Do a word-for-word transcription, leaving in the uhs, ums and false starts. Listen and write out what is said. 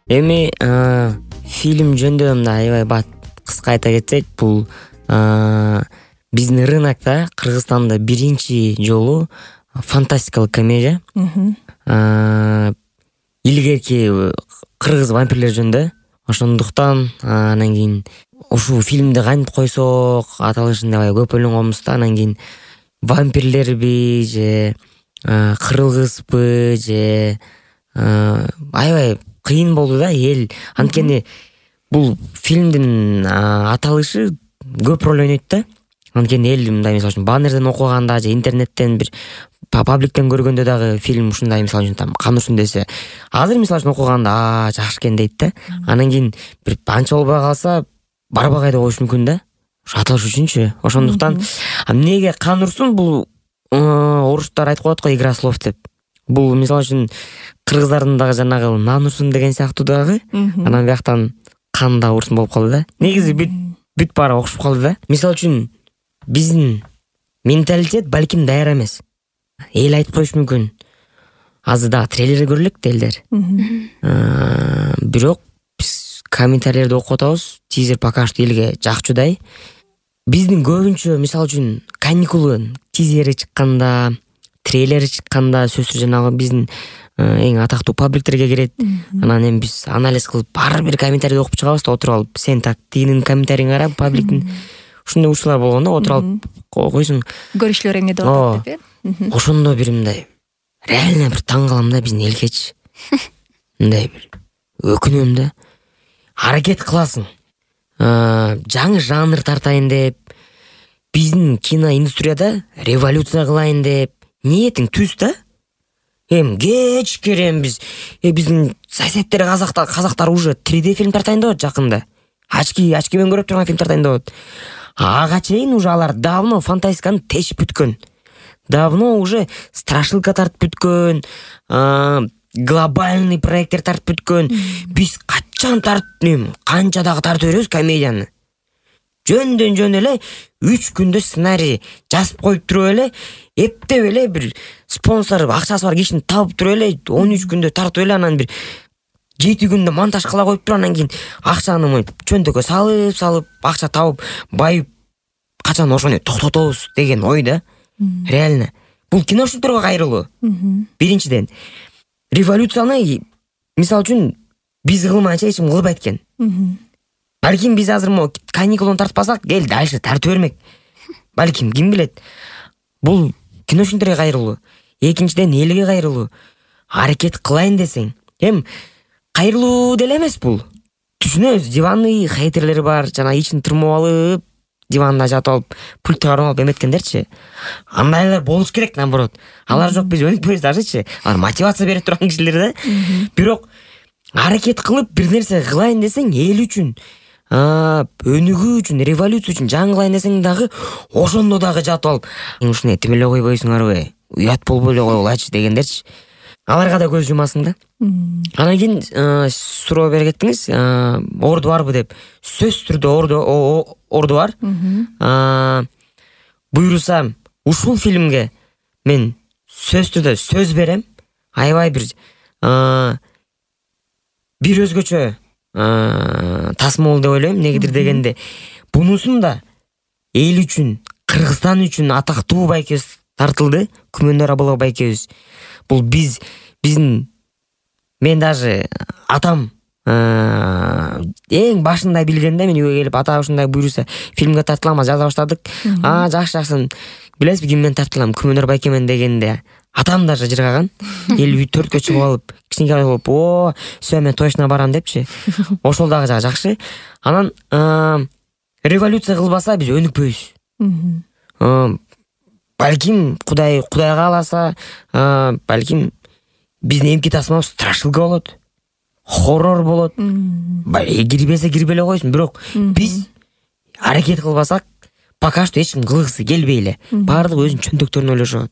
Эми фильм жөнүндө мындай аябай бат кыска айта кетсек, бул биздин рынокто Кыргызстанда биринчи жолу фантастикалык комедия. Илгерки кыргыз вампирлер жөнүндө. Ошондуктан анан кийин ушул фильмди кантип койсок аталышын аябай көп ойлонгонбуз да. Анан кийин вампирлерби же кыргызбы же аябай кыйын болду да эл. Анткени бул фильмдин аталышы көп роль ойнойт да. Анткени эл мындай мисалы үчүн баннерден окуганда же интернеттен бир пабликтен көргөндө дагы фильм ушундай мисалы үчүн кан урсун десе, азыр мисалы үчүн окуганда а жакшы экен дейт да. Анан кийин бир анча болбой калса барбагай деп коюш мүмкүн да. Ошо аталыш үчүнчү. Ошондуктан эмнеге кан урсун, бул орустар айтып коет го игра слов деп. Бул мисалы үчүн кыргыздардын дагы жанагы нан урсун деген сыяктуу дагы. Анан бияктан кан да урсун болуп калды да. Негизи бүт бүт баары окшоп калды да. Мисалы үчүн биздин менталитет балким даяр эмес. Эл айтып коюш мүмкүн. Азыр дагы трейлерди көрөлүк делдер. Бирок биз комментарийлерди окуп атабыз. Тизер пока что элге жакчудай. Биздин көбүнчө мисалы үчүн каникулун тизери чыкканда, трейлери чыкканда сөзсүз жанагы биздин эң атактуу пабликтерге кирет. Анан эми биз анализ кылып ар бир комментарийди окуп чыгабыз да, отуруп алып сен так тигинин комментарийин кара, пабликтин. Ушундай учурлар болгон да, отуруп алып койсуң. Көрүшүлөр эмне деп атат деп э? Ошондо бир мындай реально бир таң калам да биздин элгечи. Мындай бир өкүнөм да. Аракет кыласың. Жаңы жанр тартайын деп, биздин киноиндустрияда революция кылайын деп ниетиң түз да. Эм кечкерем биз э биздин соседтер казактар казактар уже три дэ фильм тартайын деп атат жакында. Ачки ачки менен көрүп турган фильм тартайын деп атат. Ага чейин уже алар давно фантастиканы тешип бүткөн. Давно уже страшилка тартып бүткөн, глобальный проекттер тартып бүткөн. Биз качан тартып, канча дагы тартып беребиз комедияны. Жөндөн жөн эле үч күндө сценарий жазып коюп туруп эле, эптеп эле бир спонсор акчасы бар кишини табып туруп эле он үч күндө тартып эле, анан бир жети күндө монтаж кыла коюп туруп, анан кийин акчаны моy чөнтөккө салып салып акча табып байып качан ошону токтотобуз деген ой да. Реально бул киношниктөргө кайрылуу. Биринчиден революцияны мисалы үчүн биз кылмайынча эч ким кылбайт экен. Балким биз азыр мо каникулун тартпасак, эл дальше тартып бермек. Балким ким билет. Бул киношниктөргө кайрылуу. Экинчиден элге кайрылуу. Аракет кылайын десең, эм кайрылуу деле эмес бул. Түшүнөбүз, диванный хейтерлери бар, жана ичин тырмап алып, диванда жатып алып, пультты кармап алып эметкендерчи. Андайлар болуш керек, наоборот. Алар жок, биз өнүкпөйбүз дажычы. Алар мотивация берип турган кишилер да. Бирок аракет кылып бир нерсе кылайын десең, эл үчүн, өнүгүү үчүн, революция үчүн жаңылайын десең дагы ошондо дагы жатып алып, ушуну этимеле койбойсуңарбы? Уят болбой эле койгулачы дегендерчи. Аларга да көз жумасың да. Анан кийин суроо берип кеттиңиз, орду барбы деп. Сөзсүз түрдө орду орду бар. Буйрусам, ушул фильмге мен сөзсүз түрдө сөз берем. Аябай бир бир өзгөчө тасма болду деп ойлойм. Негедир дегенде, бунусун да эл үчүн, Кыргызстан үчүн атактуу байкебиз тартылды. Күмөндөр Абылов байкебиз. Бул биз биздин мен даже атам эң башында билгенде, мен үйгө келип ата ушундай буйруса фильмге тартылам, жаза баштадык. А жакшы жакшы. Билесизби ким менен тартылам? Күмөндөр байкемен дегенде атам даже жыргаган. Эл төрткө чыгып алып, кичинекей болуп, "О, всё, мен точно барам" депчи. Ошол дагы жакшы. Анан революция кылбаса биз өнүкпөйбүз. Балким Кудай Кудай кааласа, балким биздин эмки тасмабыз страшилка болот. Хоррор болот. Кирбесе кирбей эле койсун, бирок биз аракет кылбасак, пока что эч ким кылгысы келбей эле. Баардыгы өзүнүн чөнтөктөрүн ойлошот.